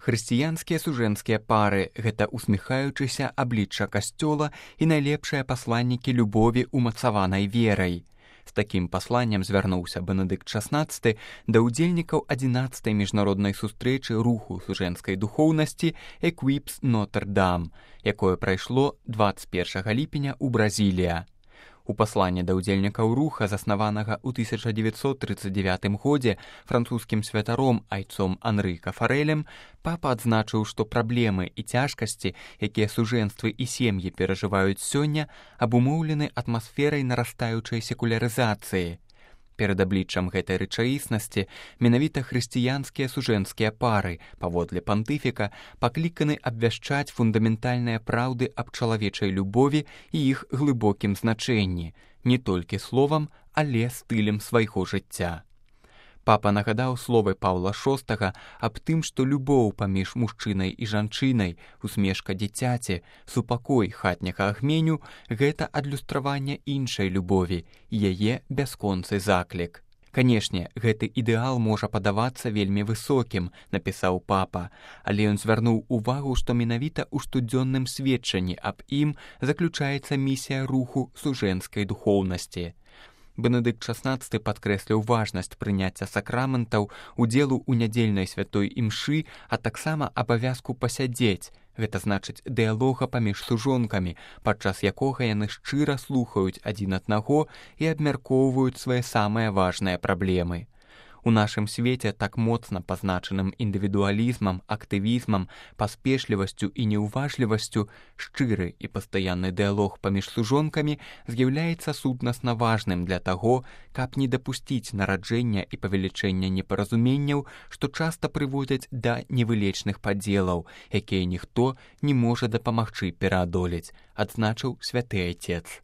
Хрысціянскія сужэнскія пары – гэта усміхаючыся аблічча касцёла і найлепшыя пасланнікі любові умацаванай верай. З такім пасланнем звярнуўся Бенедыкт XVI да ўдзельнікаў 11-й міжнароднай сустрэчы руху сужэнскай духоўнасці «Equips Notre Dame», якое прайшло 21 ліпеня ў Бразілія. У пасланні да ўдзельнікаў руха, заснаванага ў 1939 годзе французскім святаром айцом Анры Кафарэлем, папа адзначыў, што праблемы і цяжкасці, якія сужэнствы і сем'і перажываюць сёння, абумоўлены атмасферай нарастаючай секулярызацыі. Перад абліччам гэтай рэчаіснасці менавіта хрысціянскія сужэнскія пары, паводле пантыфіка, пакліканы абвяшчаць фундаментальныя праўды аб чалавечай любові і іх глыбокім значэнні, не толькі словам, але стылем свайго жыцця. Папа нагадаў словы Паўла VI аб тым, што любоў паміж мужчынай і жанчынай, усмешка дзіцяці, супакой хатняга агменю – гэта адлюстраванне іншай любові і яе бясконцы заклік. Канешне, гэты ідэал можа падавацца вельмі высокім, напісаў папа, але ён звярнуў увагу, што менавіта ў штодзённым сведчанні аб ім заключаецца місія руху сужэнскай духоўнасці. Бенедыкт XVI падкрэсліў важнасць прыняцця сакраментаў, удзелу ў нядзельнай святой імшы, а таксама абавязку пасядзець, гэта значыць дыялога паміж сужонкамі, падчас якога яны шчыра слухаюць адзін аднаго і абмяркоўваюць свае самыя важныя праблемы. У нашым свеце, так моцна пазначаным індывідуалізмам, актывізмам, паспешлівасцю і неўважлівасцю, шчыры і пастаянны дыялог паміж сужонкамі з'яўляецца сутнасна важным для таго, каб не дапусціць нараджэння і павелічэння непаразуменняў, што часта прыводзяць да невылечных падзелаў, якія ніхто не можа дапамагчы пераадолець, адзначыў святы айцец.